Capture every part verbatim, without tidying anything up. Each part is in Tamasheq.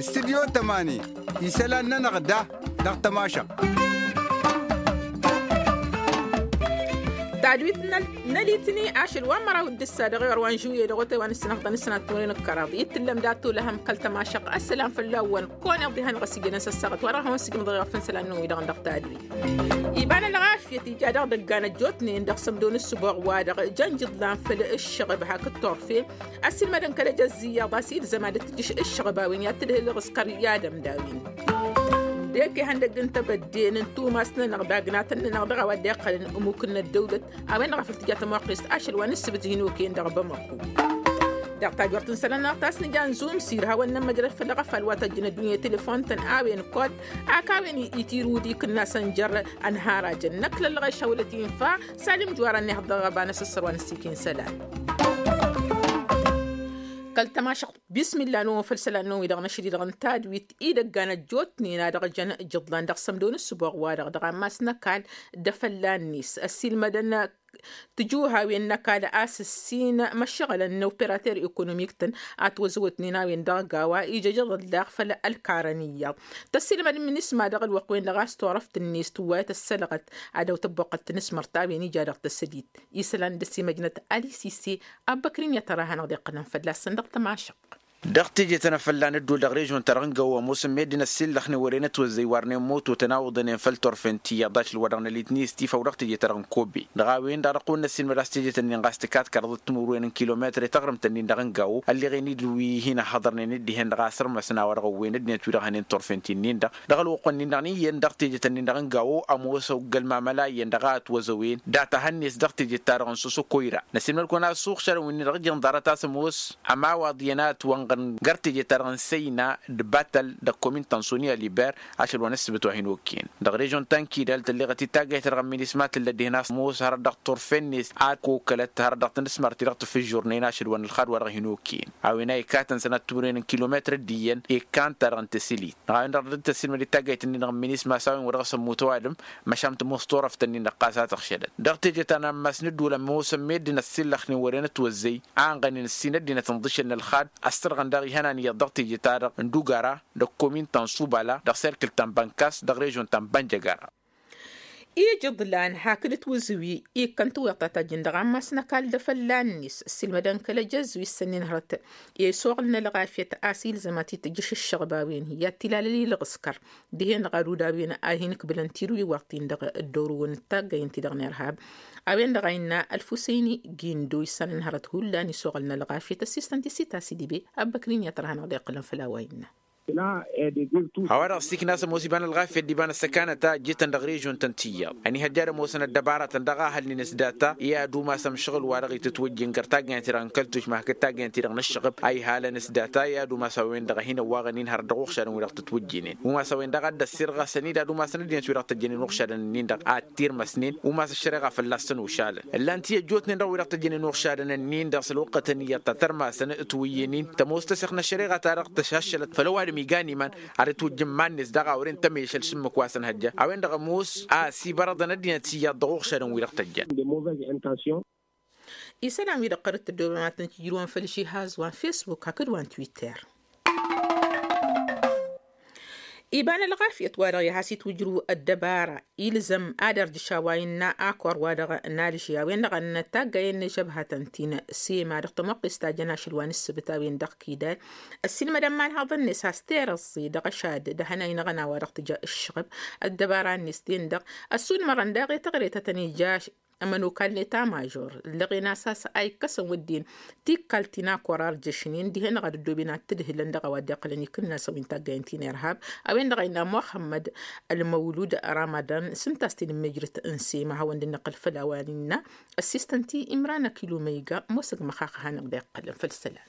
Studyo tămani isălan-nănăɣ da dăɣ-tămašăɣt. Tadwit n-alitni ašăl wa n-măraw d-ǝssa dăɣ-iɣăr wa n-žuye dăɣ-otay wa n-ǝssinăɣ d-anǝssinăɣ timǝrwen d-kăraḍ i-tǝllăm dat-olăhăm kăl-tămašăɣt. Ăssălam fălla-wăn. Kăwăn-iḍ dihen ɣas ijăn asăssaɣăt wa dăɣ-hawăn-sǝjmǝḍ iɣăf n-isălan-năwăn-wi-dăɣ dăɣ-tadwit. Iba n-ălɣafyăt ija daɣ dăggan ăjjootnen dăɣ-sămdo n-ǝssǝboɣ-wa-dăɣ jăn jǝḍlan făll-ǝššăɣăb hakd turfen. Ăssiilmădăn kăl-ejăzz iyyăḍ a-s ilzăm ad-dd-tǝjǝš ǝššăɣăb a-wen i-ad-tǝdhǝl ǝɣǝskăr i-ad-ămdawin. D-eke ihăndăgg n-tebădde n-tumas-nănăɣ d-agnatăn-nănăɣ dăɣ-a-wa dd-iqqălăn ămmuk n-ăddăwlăt a-wen-dăɣ a făl tǝja tămoqqest ašăl wa n-ǝssǝbǝt hin-okăyăn dăɣ-bamăko. Dăɣ-tajort n-isălan-nănăɣ ta s-nǝja n-zumsir hawăn-nămmăjrăd făll-aɣăfal wa tăjjăn ăddunya i-telefon-tăn a-wen kod ak a-wen itirud ikǝnnasăn jer-ănharajăn năkk lăllăɣ ešhăwlăt infa. Salim juwar ănnihăḍ dăɣ-ăba n-asǝssăr wa n-ăssiik i-isălan. Kăl-tămašăɣt bismilla n-owăn făll-isălan-năwăn wi-dăɣ năšri-dăɣ n-tadwit idăggan ăjjootnen a dăɣ-jăn jǝḍlan dăɣ-sămdo n-ǝssǝboɣ-wa-dăɣ dăɣ-ammas n-ăkall d-afălla-net ăssiilmădăn tǝjuhawen n-ăkall a-s ǝssin măššăɣǝlăn n-operater ekonomik-tăn. Ătwăzăwătnen a-wen dăɣ-gawa ijăjăḍăt daɣ făll-ălkarăn iyyăḍ. Tăssiilmăd n-minisma dăɣ-ălwăqq-wen-dăɣ a-s turăft-net tǝwwayăt ăssălăɣăt ad-dăw-tăbbuqqăl tanǝsmărt a-wen ija dăɣ-tăsădit isălan dăr-s imăjnăt alisise. Abbăkrin i-ad-tăra hanăɣ-dd-iqqălăn fălla-săn dăɣ-tămašăɣt. Dăɣ-teje-tăn a fălla nǝddul dăɣ-režon-ta-dăɣ n-gawo ămoosăn meddǝn ăssiillăxnen wăren ătwăzzăy warnen moto tănawǝḍănen făll-turfen tiyyăḍ ašăl wa dăɣ-nălitni s-tifăw dăɣ-teje-ta-dăɣ n-kobe. Dăɣ-a-wen-dăɣ dăɣ-kăwăn-năssiilmăd a-s teje-tăn-in ɣas tǝkat kărăḍăt timǝrwen n-kilometre taɣrǝmt-nin-dăɣ n-gawo ălleɣen-dd wi hin-ăhhăḍărnen d-dihen-dăɣ a sărmăsăn a-wa dăɣ-ăwwen ăddinăt wi-dăɣ hănen turfen ti-nin-dăɣ. Dăɣ-ălwăqq-nin-dăɣ n-iyyăn dăɣ-teje-tăn-in-dăɣ n-gawo ămoos ăgg-ălmamăla iyyăn dăɣ-a ătwăzăwen data hănnes dăɣ-teje-ta-dăɣ n-soso koyra. Năsiilmăd-kăwăn a-s uɣšadăn wi-dăɣ ǝjăn ḍarăt a-s ămoos ămawaḍ iyyăn a ătwănɣăn găr teje-ta-dăɣ n-săyna d-batăl dăɣ-komin tansoni aliber. Ašăl wa n-ǝssǝbǝt wa hin-okăyăn dăɣ-režon ta n-kidal tălleɣăt-dd taggayt-ta-dăɣ n-minisma tǝllăt dihen a-s ămoos hărăt dăɣ-turfen-net a ăkokălăt hărăt dăɣ-tanǝsmărt-i-dăɣ tǝfǝžžurnen ašăl wa n-ǝlxad wa dăɣ-hin-okăyăn. A-wen a ikat n-sănat timǝrwen n-kilometr d-iyyăn ikkan-ta-dăɣ n-tăsǝlit. Dăɣ-a-wen-dăɣ dăr-dd-tăssiilmăd-dd taggayt-nin-dăɣ n-minisma s-a-wen wa dăɣ-s ămmutăw adǝm. Măšan tǝmoos turăft-nin-dăɣ ɣas a tăɣšădăt dăɣ-teje ta n-ammas n-ǝddul ămoosăn meddǝn ăssiillăxnen wăren ătwăzzăy a ănɣănen ǝssin ăddinăt ǝnḍǝšăn n-ălxad. Ăssărɣăn daɣ ihănan iyyăḍ dăɣ-teje-ta-dăɣ n-dugara dăɣ-komin ta n-subala dăɣ-serkǝl ta n-bănkas dăɣ-režon ta n-bănjăgara. Ijǝḍlan hakd ǝtwǝzǝwi ikkăn tǝwweḍ ta tajjǝn dăɣ-ammas n-ăkall d-afălla-net ăssiilmădăn kăl-ejăzz wi s-ănnin hărăt i-isuɣǝl n-ălɣafyăt a-s ilzăm ad-t-tǝjjǝš ǝššăɣb a-wen i-ad-t-ilalăl ilɣǝskăr dihen-dăɣ ad-udawen a hin-ǝkbǝlăn tirǝwiwaḍt-in-dăɣ dd-orǝwăn d-taggay ǝnta-dăɣ n-irhab. A-wen-dăɣ a innă ălfusăyni gindo issanăn hărăt hullan isuɣǝl n-ălɣafyăt ăssistăn tisita s-idǝbe. Ăbbăknin i-ad-tărha-năɣ dd-iqqǝlăn făll-a-wa innă. Hawa-dăɣ s-ikna a-s ămoos iba n-ălɣafyăt d-iba n-ăssăkanăt a ǝjjǝtăn dăɣ-režon-tăn tiyyăḍ ănihăjja ad-ămoosăn ăddăbaratăn dăɣ-ahălnen s-data i-ad-umasăm šăɣǝl-wa-dăɣ itǝtwǝjjǝn găr taggayăn-ti-dăɣ n-kăl-tušma hakd taggayăn-ti-dăɣ n-ǝššăɣb a ihalăn s-data i-ad-umas a-wen-dăɣ a hin-ăwwaɣăn-in hărăt dăɣ-uɣšadăn wi-dăɣ tǝtwǝjjǝnen umas a-wen-dăɣ a dd-ăssirɣasăn-dd ad-umasăn ăddinăt wi-dăɣ tăjjănen uɣšadăn-nin-dăɣ ad-tirmăsnen umas ăššăreɣa fălla-săn ušalăn. Ǝllan-t i-ăjjootnen dăɣ-wi-dăɣ tăjjănen uɣšadăn-nin-dăɣ s-ălwăqqătăn iyyăḍ ta tărmasăn ătwǝyyăn-in tămoos tăsixnă ăššăreɣa-ta-dăɣ tăšaššălăt făll-ăwadǝm iga n-iman ad-ătwǝjjǝn iman-net daɣ a wăren tămešăl s-ǝmmǝk wa s-ănhăjja a-wen-dăɣ ămoos a ăsibărăḍăn ăddinăt iyyăḍ dăɣ-uɣšadăn-wi-dăɣ tăjjăn. Isălan-wi-dăɣ qărǝt tăddoobăm ad-tăn-tijrǝwăm făll-išihaẓ wa n-fesbuk hakd wa n-twitter. Iba n-ălɣafyăt wa-dăɣ i-has-itwǝjrǝw ăddăbara ilzăm ad-ărjǝš a-wa innă akor wa-dăɣ n-alži a-wen-dăɣ a ǝnnă taggayen n-ažăbhătăn ti n-sema dăɣ-tămoqqest ta jăn ašăl wa n-ǝssǝbǝt a-wen-dăɣ kidal. Ăssiilmădăn imanhaḍăn-net a-s terăẓẓe dăɣ-ašad d-ahănay n-aɣăna wa dăɣ-tǝja ǝššăɣǝb ăddăbara-net-den-dăɣ ăssunmărăn daɣ i-taɣret ad-tăn-ija ămănokal n-eta mažor ǝllăɣen a-s a-s a ikkăsăn wădden tikkal ti n-akor a ărjăšnen dihen-dăɣ ad-ăddooben ad-t-ǝdhǝlăn dăɣ-a-wa dd-iqqălăn ikǝnnasăn wi n-taggayen ti n-irhab. A-wen-dăɣ a innă muxămmăd ălmăwlud ramadan s-ǝnta a-s tinǝmmejrăt n-sema hawăn-dd-nǝqqǝl făll-a-wa n-innă ăssistăn-t-i imran ăkilumăyga. Mosăg măxax a hanăɣ-dd-iqqălăn făll-isălan.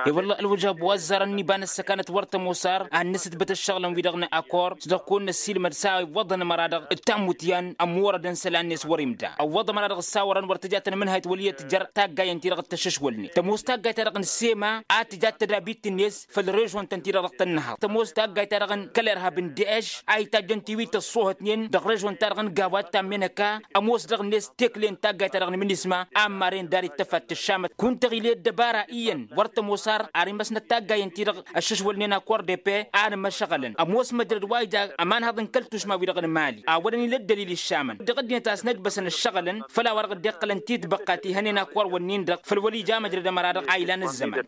I-wălla ălwăjab wa ăzzarăn n-iba n-ăssăkanăt wăr tămoos ar ad-nǝsǝtbăt ǝššăɣǝlăn-wi-dăɣ n-akor s-dăɣ-kăwăn-năssiilmăd s-a iwwăḍăn ămăra-dăɣ d-tammutyan ămorădăn isălan-net wăr-imda ăwwăḍ ămăra-dăɣ ǝssawărăn wăr tǝja tănmǝnhayt wăl' iyyăt tǝjăr taggayăn-ti-dăɣ d-tašǝšwălnen tămoos taggayt-ta-dăɣ n-sema a tǝja d-tadabit-net făll-režon-tăn-ti-dăɣ dăɣ-tănnăhăḍ tămoos taggayt-ta-dăɣ n-kăl-irhab n-dež a itajjăn tiwit ăṣṣoohătnen dăɣ-režon-ta-dăɣ n-gawad ta n-menăka ămoos dăɣ-net tekle n-taggayt-ta-dăɣ n-minisma a ămmaren dar-ităfat tǝššamăt kunta ɣile ăddăbara iyyăn wăr tămoos ar ar imăsnăt taggayăn-ti-dăɣ ăššăšwălnen akor depe a nǝmăšăɣălăn ămoos măjrăd wa ija ămanhăḍ n-kăl-tušma-wi-dăɣ n-mali a wădăn-in ăddălil iššamăn dăɣ-ăddinăt a-s năjbăsăn ǝššăɣǝlăn făll-a-wa-dăɣ dd-iqqălăn titbăqqa ti hănen akor-wǝnnin-dăɣ făll-wăl' ija măjrăd ămăra-dăɣ a ilan ăzzăman.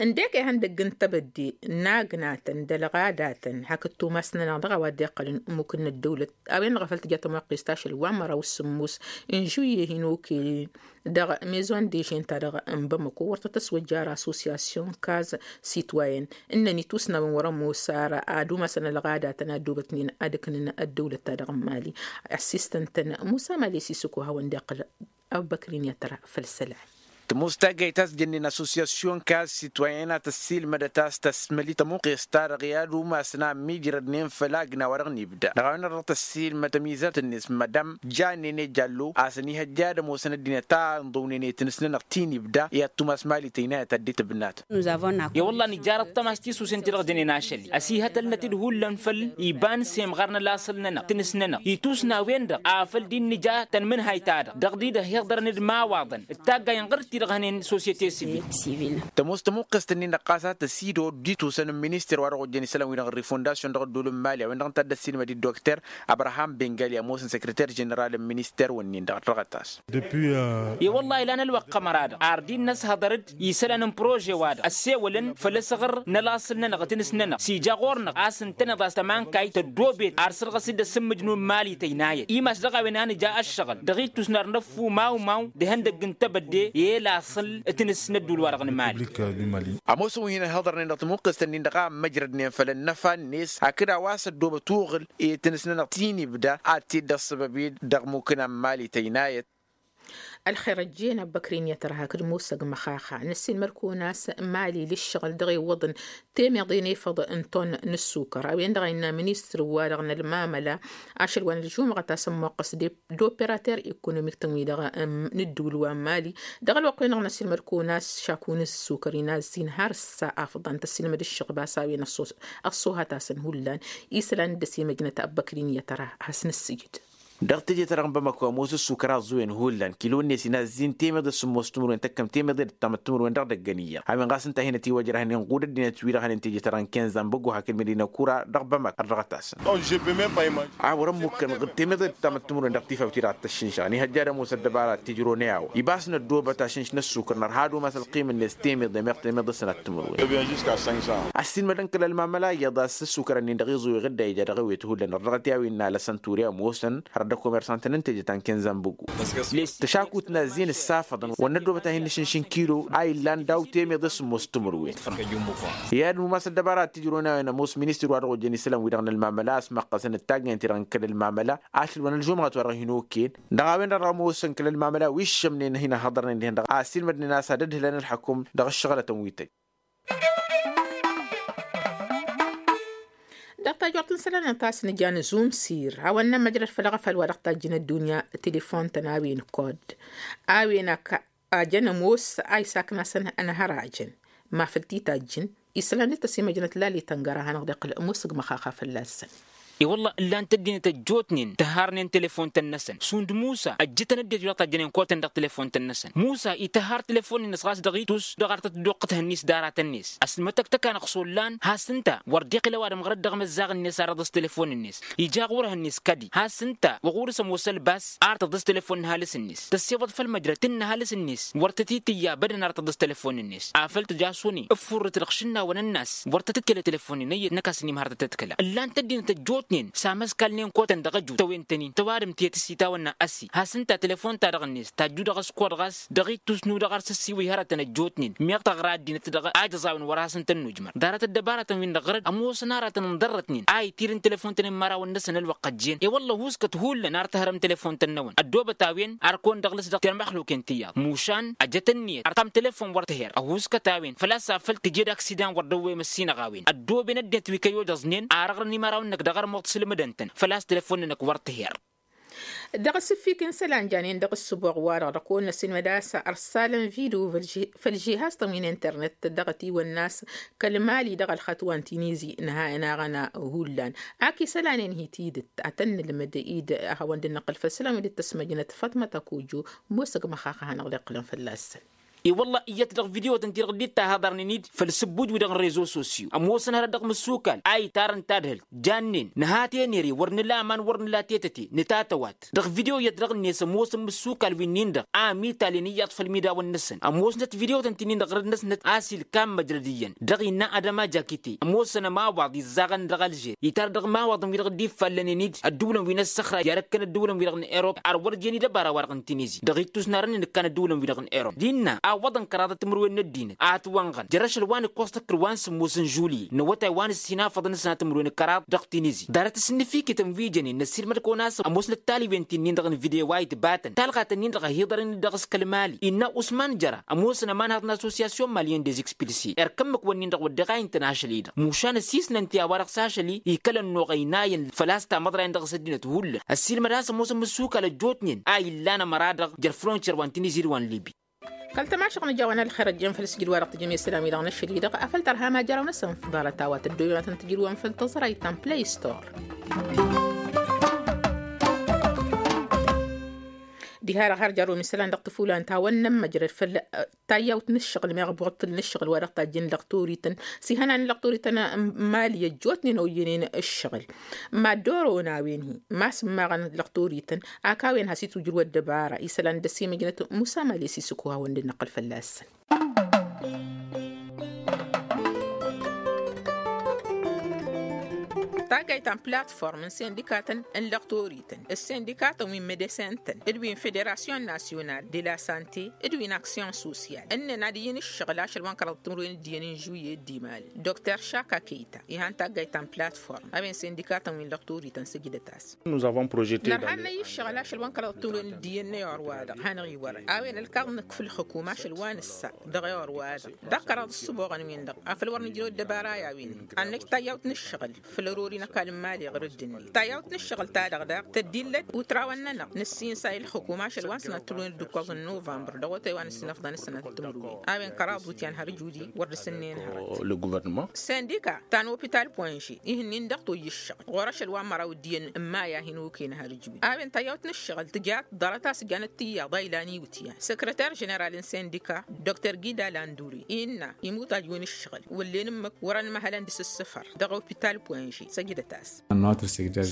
Ǝndek ehăn dăgg-n tebădde n-agnatăn d-ălɣadatăn hakd tumas-nănăɣ dăɣ-a-wa dd-iqqălăn ămmuk n-ăddăwlăt a-wen-dăɣ a făl tǝja tămoqqest ašăl wa n-măraw s-sǝmmos n-žuyye hin-okăyăn dăɣ-mezon dežen-ta-dăɣ n-bamăko wăr tăt-ăswăjja ar assosyasyon kaz sitwayen ǝnnăn itusnawăn wăr-ămoos ar ad-umasăn ălɣadatăn a ăddoobătnen ad-ǝknǝn ăddăwlăt-ta-dăɣ n-mali. Assistăn-tăn musa mali s-isǝko hawăn-dd-iqqǝl. Abubăkrin i-ad-tăra făll-isălan. Tămoos taggayt a-s jănnen assosyasyon kaz sitwayen a tăssiilmădăt a-s tăsmăli tămuqqest-ta-dăɣ i-ad-umasăn a ămmiijrădnen făll-agna wa dăɣ-nibda dăɣ-a-wen-dăɣ dăɣ-tăssiilmăt ămizărt-net madam janene jallo a-s ănihăjja ad-ămoosăn ăddinăt a ǝnḍǝwnen i-tinǝsnănăɣ ti n-ibda i-ad-tumas mali tăynayăt ad-dd-tǝbnat. I-wălla nǝjjarăt tămas tisusen ti-dăɣ jănen ašăl-i ăsihătălnăt-dd hullan făll-iba n-semɣar n-ălasǝl-nănăɣ tinǝs-nănăɣ itusnawen-dăɣ afăl dd-nǝja tănmǝnhayt-ta-dăɣ dăɣ-di-dăɣ hi-iḍărăn d-imawaḍăn d-taggay n-ɣăr-t-i-dăɣ hănen sosyete sivil. Tămoos tămuqqest-ǝnnin-dăɣ ɣas a tăsidod d-itusăn n-minister wa dăɣ-ojjăn isălan-wi-dăɣ n-rifondasyon dăɣ-ădduul n-mali a-wen-dăɣ ǝnta a dd-ăssiilmăd-dd dokter abraham bengali ămoosăn săkrăter ženeral n-minister-wǝnnin-dăɣ ăddăɣăt-as. I-wălla ilan ălwăqq ămăra-dăɣ ar dd-năshăḍăr-dd isălan n-prože-wa-dăɣ ăssewălăn făll-asăɣăr n-ălaṣăl-nănăɣ d-tinǝs-nănăɣ s-ija ɣur-năɣ a-s ǝntăneḍ a-s tămankayt tăddoobet ar săr-dăɣ a-s dd-ăssǝmmǝjnun mali tăynayăt imas dăɣ-a-wen a nǝja ăššăɣǝl dăɣ-ittus n-ar năffu mawmaw d-ihăndăgg n-tebădde i-elaṣăl d-tinǝs n-ădduul-wa-dăɣ n-mali. Ămoosăn wi hin-ăhhăḍărnen dăɣ-tămuqqest-ǝnnin-dăɣ a ămmăjrădnen făll-ănnăfa-net hakd a-wa s-ăddoobăt uɣǝl i-tinǝs-nănăɣ ti n-ibda ad-t-dd-ăṣṣăbăb-dd dăɣ-mukǝna n-mali tăynayăt. Ălxer ăjjeen abăkrin i-ad-tăra hakd musăg măxaxa năssiilmăd-kăwăn a-s mali l-ǝššăɣǝl dăɣ-iwwăḍăn temeḍe n-efăḍ n-ton n-ǝssukăr a-wen-dăɣ a innă ministăr-wa-dăɣ n-ălmamăla ašăl wa n-ălžumɣăt a-s ămmoqqăs d-operater ekonomik-tăn-wi-dăɣ n-ǝddǝwǝl wa n-mali. Dăɣ-ălwăqq-wen-dăɣ năssiilmăd-kăwăn a-s šaku n-ǝssukăr inazz-in har ǝssa afḍăn tăssiilmăd ǝššăɣb a-s a-wen ăṣṣuhăt-asăn hullan isălan dd-ăsimăjnăt abăkrin i-ad-tăra has-nǝssǝjǝd. Dăɣ-teje-ta-dăɣ n-bamako ămoos ǝssukăr aẓẓuwen hullan kilo-net inazz-in temeḍe s-sǝmmos timǝrwen tăkkăm temeḍe d-ǝttamăt timǝrwen dăɣ-idăggăn iyyăḍ a-wen ɣas ǝnta a hin-ătiwăjrăhăn inɣud ăddinăt-wi-dăɣ hănen teje-ta-dăɣ n-kenza n-băggu hakd medina kura dăɣ-bamako ărdăɣăt-asăn. A wăr-ămmukkăn temeḍe d-ǝttamăt timǝrwen dăɣ-tifawt-i-dăɣ ad-t-ăššǝnšăɣăn ihăjja ad-ămoos ăddăbara d-tijrăw n-e-a-wa ibas n-ăddoobăt ašǝnš n-ăssukăr nărha ad-umas ălqim-net temeḍe meɣ temeḍe s-sănat timǝrwen. Ăssiilmădăn kăl-ălmamăla iyyăḍ a-s ăssukăr-ǝnnin dăɣ-iẓuweɣ dd-a ija dăɣ-ewet hullan ărdăɣăt i-a-wi n-alăsăn ture ămoosăn har dd-ăkomersan-tăn n-teje ta n-kenza n-băggu. Tăšakut n-azzin ǝssafăḍăn wăr năddoobăt a hin-nǝšǝnšǝn kilo a illan daw-temeḍe s-ămoos timǝrwen. I-ad-numas ăddăbara ad-t-ǝjrăwăn a-wen ămoos ministir wa dăɣ-ojjăn isălan-wi-dăɣ n-ălmamăla a-s măqqăsăn d-taggăyăn-ti-dăɣ n-kăl-ălmamăla ašăl wa n-ălžumɣăt wa dăɣ-hin-okăyăn dăɣ-a-wen-dăɣ dăɣ-ămoosăn kăl-ălmamăla wi ǝššămnen hin-ăhhăḍărnen dihen-dăɣ a ăssiilmădnen a-s ad-ădhǝlăn ălḥăkum dăɣ-ǝššăɣlătăn wi tăjj. Dăɣ-tajort n-isălan ta s-nǝja n-azumsir hawăn-nămmăjrăd făll-aɣăfal wa dăɣ-tajjǝn ăddunya telefon-tăn a-wen kod a-wen a jăn ămoos a isakn'-asăn ănhărajăn ma făl t-itajjǝn isălan d-tăsimăjnăt lali tăngăra hanăɣ-dd-iqqǝl ămoos ǝgmăxaxa fălla-săn. I-wălla ǝllan-t ăddinăt ăjjootnen tǝharnen telefon-tăn-năsăn šund musa ăjjǝtăn ăddinăt wi dăɣ-tajjănen kotăn dăɣ-telefon-tăn-năsăn musa itǝhhar telefon-net ɣas dăɣ-itus dăɣ-artăt dd-oqqǝtăhăn-ni s-daratăn-net. Ăsmătăktăk-anăɣ s-ollan has-ǝnta wăr dd-iqqǝl ăwadǝm ɣărăt dăɣ-imăzzaɣ-net ar ăḍǝs telefon-net ija ɣur-ehăn-net kădi has-ǝnta wăɣ-urǝs ămoos ălbas ar tăḍǝs telefon n-ăhalǝs-net tăssewăḍ făll-măjrăt n-ăhalǝs-net. Wăr tăt-itǝyya bădăn ar tăḍǝs telefon-net afăl tǝja s-one ǝffurrǝt dăɣ-išǝnnawăn ănnas wăr tăt-ǝtkăl telefon-net ăyyăt năkk a-s ănimhăr tăt-ǝtkăla ǝllan-t ăddinăt ăjjoot. Ǝjjootnen s-amăskalnen kotăn dăɣ-ăjut tăwen-tăn-in tăwadǝm tetăs itawănna ăssi has-ǝnta telefon-ta-dăɣ-net tajju dăɣ-ăskor ɣas dăɣ-ittus n-udăɣ ar s-ăssiwǝy hărătăn ăjjootnen. Meɣ taɣra ăddinăt-dăɣ a ijăẓ a-wen wăr hasăn-tăn-nujmăr ḍarăt ăddăbarătăn-win-dăɣ ɣărăd ămoosăn aratăn ǝnḍărrătnen a itir n-telefon-tăn n-imărawăn-năsăn ălwăqq ăjjeen. I-wălla ăhuuskăt hullan ar tǝhărăm telefon-tăn-năwăn ăddoobăt a-wen ar kăwăn-dăɣ-lăs dăɣ-termăxluken tiyyăḍ mušan ăjăt ǝnniyăt ar tam telefon wăr tǝher ăhuuskăt a-wen făl-a-s afăl tǝjed aksidan wăr dăwwem ăssinăɣ a-wen ăddooben ăddinăt wi kăy-odăẓnen ar ăɣrăn imărawăn-năk dăɣ-armuḍ sǝlmǝdăn-tăn făl-a-s telefon-nănăk wăr tǝher. Dăɣ-asǝfik n-isălan janen dăɣ-ǝssǝboɣ-wa-dăɣ dăɣ-kăwăn-năsǝnmăd a-s ărsalăn video făll-žihaz-tăn wi n-internet dăɣ-ătiwănna a-s kăl-mali dăɣ-ălxatwa n-tinizi nǝhayăn aɣăna hullan. Ak isălanen hi-tidǝt ad-tăn-nǝlmǝd-dd ad-hawăn-dd-năqqǝl făll-isălan wi dd-tăsmăjnăt făṭmăt ăkojo. Ămoos ăgg măxax a hanăɣ-dd-iqqǝlăn fălla-săn. I-wălla iyyăt dăɣ-video-tăn-ti-dăɣ dd-ittahăḍărnen-dd făll-sǝbbuj-wi-dăɣ n-rezo sosyo ămoosăn hărăt dăɣ-imǝssukal a itarăn tadhǝlt jannen nǝha tenere wăr nǝla aman wăr nǝla tetăte nǝtatăwat. Dăɣ-video iyyăt dăɣ-net ămoosăn imǝssukal wi-nin-dăɣ a ămitalen iyyăḍ făll-imidawăn-năsăn ămoosnăt video-tăn ti-nin-dăɣ ɣărăd-năsnăt a-s ilkan măjrăd iyyăn dăɣ-innă adăma jakite ămoosăn ămawaḍ izzaɣăn dăɣ-alžer itar dăɣ-imawaḍăn-wi-dăɣ dd-iffallănen-dd ădduulăn wi n-ăssăxra i-ad-ăkkăn ădduulăn-wi-dăɣ n-erop ar wăr jen idăbara-wa-dăɣ n-tinizi dăɣ-ittus n-arăn inǝkkan ădduulăn-wi-dăɣ n-erop d-innă awwăḍăn kăraḍăt timǝrwen n-ăddinăt a ătwănɣăn jărăšăl wa n-ǝkkoẓ tăkkǝl wa n-sǝmmos n-žulye n-awătay wa n-ǝssin afăḍăn s-sănat timǝrwen d-kăraḍ dăɣ-tinizi. Ḍarăt asǝnnǝfikităn wi jănen năssiilmăd-kăwăn a-s ămoosnăt taliwen ti-nin-dăɣ n-video wa itbatăn talɣa-tăn-in-dăɣ a hi-iḍărăn-dd dăɣ-s kăl-mali innă usman jăra ămoosăn ămanhăḍ n-associasyon malyen dez-expilsi erk ǝmmǝk-wǝnnin-dăɣ wădden a intăn ašăl-i-dăɣ mušan ăsisnăn ti a-wa-dăɣ s-ašăl-i ikăl ănnuɣăynayăn făl-a-s tamăḍrayăn dăɣ-s ăddinăt hullan ăssiilmăd a-s ămoosăn imǝssukal ăjjootnen a illan ămăra-dăɣ jer-frontier wa n-tinizi d-wa n-libi. Kăl-tamašăɣ nǝja-wăn ălxer ăjjeen făll-sǝjdǝd-wa-dăɣ tǝjăm i-isălan-wi-dăɣ n-ašăl-i-dăɣ afăl tărha ma jăraw-năsăn ḍarăt a-wa tăddoben ad-tăn-tǝjrǝwăn făll-tăẓrayt ta n-play store. Diha-dăɣ har jărrǝwăm isălan dăɣ-tǝfulan ta wăr nămmăjrăd făll-tayyawt n-ǝššăɣǝl meɣ buɣtǝl n-ǝššăɣǝl wa dăɣ-tajjǝn lăɣtorităn s-ihănan n-lăɣtorităn n-mali ăjjootnen oyyănen ǝššăɣǝl. Mad-oroon a-wen-hi ma s-ǝmmaɣăn lăɣtorităn ak a-wen has-itwǝjrǝw ăddăbara isălan d-ăsimăjnăt musa mali s-isǝkku hawăn-dd-năqqǝl fălla-săn. Taggayt ta n-platform n-sindikatăn n-lăɣtorităn d-sindikatăn wi n-medesintăn d-wi n-federasyon nasyonal de la sante d-wi n-aksyon sosyal ǝnnan ad-iyyǝn ǝššăɣǝl ašăl wa n-kăraḍăt timǝrwen d-iyyăn n-žuye d-imal. Dokter šaka keyta ihan taggayt ta n-platform a-wen sindikatăn wi n-lăɣtorităn sǝjdăt-as. Nărha n-năyy ǝššăɣǝl ašăl wa n-kăraḍăt timǝrwen d-iyyăn n-eor-wa-dăɣ hanăɣ-iwărăn a-wen ălkaḍ nǝkk făll-xǝkum ašăl wa nǝssa dăɣ-eor-wa-dăɣ dăɣ-kăraḍ ǝssǝboɣăn-win-dăɣ afăl wăr nǝjrew ăddăbara i-a-wen-hi ad-năj tayyawt n-ǝššăɣǝl făll-ărori n-ăkall n-mali ɣur-dd-net tayyawt n-ǝššăɣǝl-ta-dăɣ daɣ tăddillăt utrawăn-nănăɣ nǝssinsa i-ǝlxǝkum ašăl wa n-sănat timǝrwen d-ǝkkoẓ n-nuvămbăr dăɣ-otay wa n-ǝssinăfḍăn d-sănat timǝrwen a-wen kăraḍ utyan har ǝjudi wăr dăr-sǝnnen hărăt. Sindika ta n-opital poinže ihǝnnin dăɣ-toyy ǝššăɣǝl ɣur-ašăl wa n-măraw d-iyyăn n-maya hin-oken har ǝjudi a-wen tayyawt n-ǝššăɣǝl tǝjat ḍarăt a-s ǝjjanăt tiyyăḍ a ilan iwǝtyan săkrăter ženeral n-sindika dr gida landuri innă imutaj wi n-ǝššăɣǝl wăllen ǝmmǝk wăr-ănmăhălăn dăɣ-s ǝssǝfăr dăɣ-opital poinže săjdăt-as.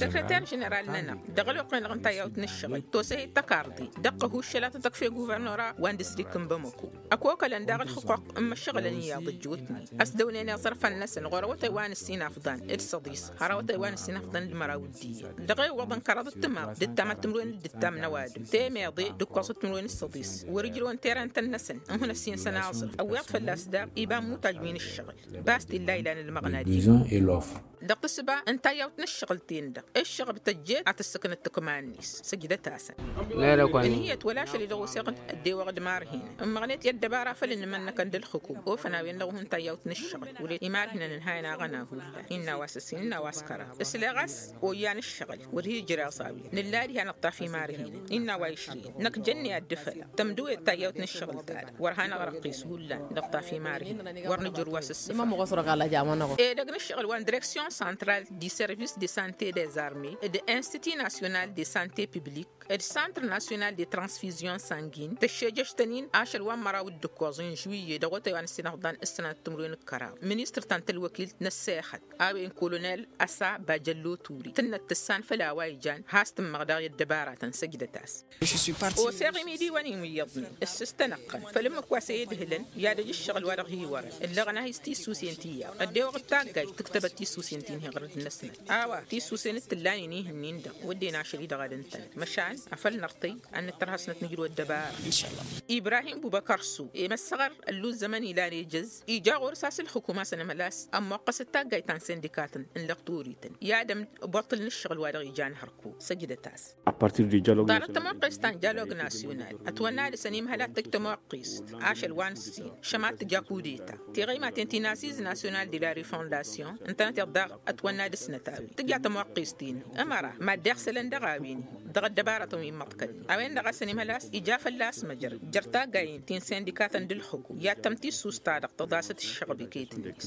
Săkrăter ženeral-nănăɣ dăɣ-ălwăqq-en-dăɣ n-tayyawt n-ǝššăɣǝl tosăhit tăkarḍe dăɣ-kăhuššăl a tăt-ăkf i-guvărnora wa n-distrikt n-bamăko ăkokălăn daɣ ǝlxǝquq n-imăššăɣǝlăn iyyăḍ ăjjootnen ăsdăwnen iẓărfăn-năsăn ɣur-awătay wa n-ǝssin afḍan d-săḍis har awătay wa n-ǝssin afḍan d-măraw d-iyyăt dăɣ-ewwăḍ n-kăraḍăt timaḍ d-ǝttamăt timǝrwen d-ǝttam n-ăwadǝm temeḍe d-ǝkkoẓăt timǝrwen d-săḍis wăr-ǝjrăwăn terantăn-năsăn n-hun-ăssinsăn aẓrǝf ăwweḍ fălla-s daɣ iba n-imutaj wi n-ǝššăɣǝl. Bas t-illa ilan ǝlmăɣna d-iba dăɣ-tǝssǝba n-tayyawt n-ǝššăɣǝl ten-dăɣ ǝššăɣǝb tăjjeet ad-tǝssǝknăt tǝkma-net săjdăt-asăn. Ǝnhǝyăt wăla ašăl-i-dăɣ oseɣ ăddewăɣ d-imarhinăn ǝmmăɣnet i-ăddăbara făll-inǝmănnăkăn d-ǝlxǝkum ofăn a-wen dăɣ-ihun tayyawt n-ǝššăɣǝl wăr-e imarhinăn ǝnhayăn aɣăna hullan innă a-wa s-ǝssin innă a-wa s-kăraḍ ǝsleɣ a-s oyyăn ǝššăɣǝl wăr hi-ǝjreẓ a-wen nǝlla diha nǝṭṭaf imarhinăn innă a-wa išrǝyăn năkk jănne ad-dd-făla tămdǝwet tayyawt n-ǝššăɣǝl-ta-dăɣ wăr hanăɣ-răqqis hullan nǝṭṭaf imarhinăn wăr nǝjrǝw a-s ǝssǝfăn. Edăgg n-ǝššăɣǝl wa n-direksyon santral di servis de sante des arme d-institut nasyonal de sante publik d-santr nasyonal de transfizyon sangin tăššejăš-tăn-in ašăl wa n-măraw d-ǝkkoẓ n-žuwiyye dăɣ-otăy wa n-ǝssinăfḍan s-sănăt timǝrwen d-kăraḍ ministăr ta n-tălwăkilt n-ăssexăt a-wen kolonel ăsa bajăllo ture tǝnnăt tǝssan făll-a-wa ijan has-tǝmmăɣ daɣ i-ăddăbaratăn săjdăt-as. Oseɣ imidiwăn-in wi iyyăḍnen ǝssǝstăn ăqqăn făll-ǝmmǝk wa s-e-idhǝlăn i-ad-ăj ǝššăɣǝl wa dăɣ-hi-wărăn ǝllăɣăn a hi-s tissusen ti iyyăḍ ăddewăɣ d-taggayt tǝktăbăt tissusen ti n-hi-iɣrǝd-năsăn. A-wa tisusen d-tǝllanen ihǝnnin-dăɣ wădden ašăl-i-dăɣ ad-ǝntănăt măšan afăl nărtăy ad-nǝttărha s-năt nǝjrǝw ăddăbara. Ibrahim bubăkăr su i-măssăɣăr ălluzzămăn ilan ejăz ija ɣur-s a-s ǝlxǝkum a-s ănămhăl a-s ămmoqqăsăt taggayt ta n-sindikatăn n-lăqturităn i-ad-ămḍălnăt ǝššăɣǝl wa dăɣ-ijan hărku săjdăt-as. Ḍarăt tămoqqest ta n-jalog nasyonal ătwănna dăɣ-s ănimhăl ad-tăj tămoqqest ašăl wa n-ǝssin šămat tǝja kudeta tiɣăymaten ti n-asiz nasyonal de la refondasyon ǝntănăteḍ daɣ ătwănna dăɣ-snăt a-wen tǝja tămoqqest-in ămăra mad-iɣsălăn dăɣ-a-wen dăɣ-ăddăbarătăn wi n-imăḍkălnen a-wen-dăɣ a-s ănimhăl a-s ija fălla-s măjrăd jer-taggayen ti n-sindikatăn d-ǝlxǝku i-ad-tăm-tissust-ta-dăɣ tăḍasăt ǝššăɣb iket-net.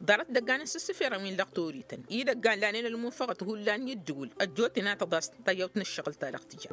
Ḍarăt idăggan n-isǝssǝferăn wi n-lăqtorităn idăggan lanen ălmunfăɣăt hullan i-ǝddǝwǝl ăjjootnen ad-tăḍas tăyyăwt n-ǝššăɣǝl-ta-dăɣ tǝja.